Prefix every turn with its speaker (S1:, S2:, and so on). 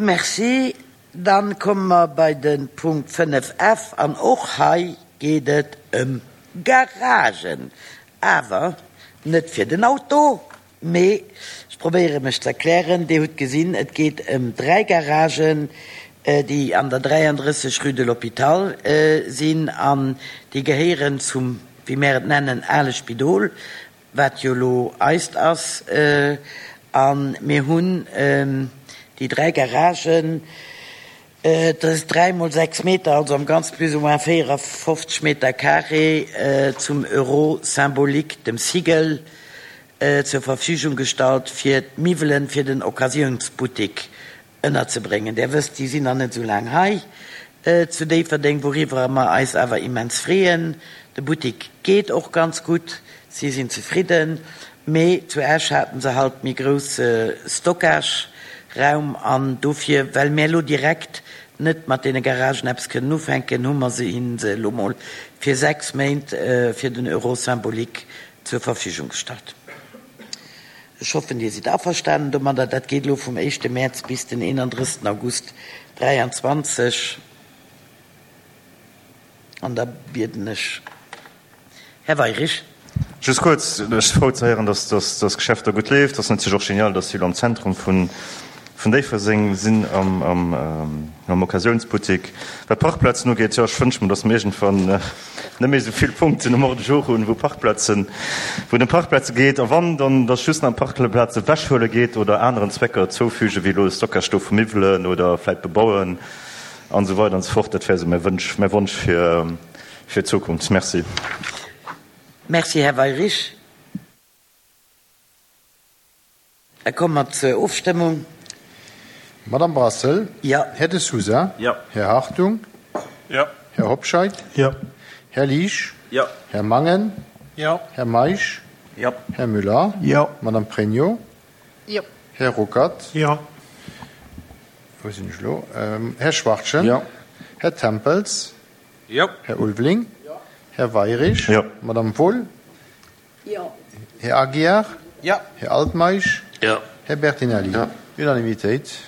S1: Merci. Dann komme mer bei de Punkt 5 F an och hei geet et ëm Garagen, awer net fir den Auto, mee, ech probéiere mech ze erklären, Dir hutt gesinn, et geet ëm dräi Garagen, déi an der 33 rue de l'Hôpital sinn an déi gehéieren zum, wéi mär et nennen, ale Spidol, wat jo elo eist ass. A mir hunn déi dräi Garagen, Et ass 3 mol 6 Meter, also am Ganze plus ou moins 54 Meter carré, zum Euro symbolique, dem Sigel, zur Verfügung gestallt, fir d'Miwwelen fir den Occasiounsbuttik ënnerzebréngen. Där wësst, déi sinn nach net esou laang hei zu Déifferdeng, wouriwwer mer eis awer immens freeën. De Buttik geet och ganz gutt, si sinn zefridden. Mee zu Esch haten se halt méi grousse Stockage-Raum an dofir, well mär elo direkt net mat deene Garagen eppes kënnen ufänken, hu mer se hinnen se elo mol fir 6 Méint fir den Euro symbolique zur Verfügung gestallt. Ech hoffen, Dir sidd averstanen domadder. Dat geet elo vum éischte Mäerz bis den 31. August 23. An da bieden ech Här Weirich.
S2: Just kuerz, Ech si frou ze héieren, dass dass Geschäft do gutt leeft. Ass natierlech och genial, dass si elo am Zentrum vun Déifferdeng sinn, am Occasiounsbuttik. Wat d'Parkplazen ugeet, jo, ech wënsche mer, dass mer iergendwann net méi esou vill Punkten um Ordre du jour hunn, wou Parkplazen, wou et ëm Parkplaze geet. A wann, dann dass just nach ëm Parkplaze ewechhuele geet oder aneren Zwecker zoufügen, wéi elo de Stockage do vu Miwwelen oder vläit bebauen an esou weider an esou fort. Dat wär esou mäi Wënsch, mäi Wonsch fir. Fir d'Zukunft. Merci.
S1: Merci, Här Weyrich. Da komme mer zur Ofstëmmung.
S3: Madame Brassel?
S1: Jo.
S3: Här De Sousa?
S2: Jo.
S3: Här Hartung?
S4: Jo.
S3: Här Hobscheit?
S4: Jo.
S3: Här Liesch?
S2: Jo.
S3: Här Mangen?
S4: Jo.
S3: Här Meisch?
S2: Jo.
S3: Här Müller?
S4: Jo.
S3: Madame Pregno?
S5: Jo.
S3: Här Ruckert?
S4: Jo.
S3: Wou sinn ech elo? Här Schwachtgen?
S2: Jo.
S3: Här Tempels?
S4: Jo.
S3: Här Ulveling?
S4: Jo.
S3: Här Weirich?
S2: Jo.
S3: Madame Wohl?
S5: Jo.
S3: Här Aguiar?
S4: Jo.
S3: Här Altmeisch?
S1: Jo.
S3: Här Bertinelli?
S2: Jo.
S3: Unanimitéit.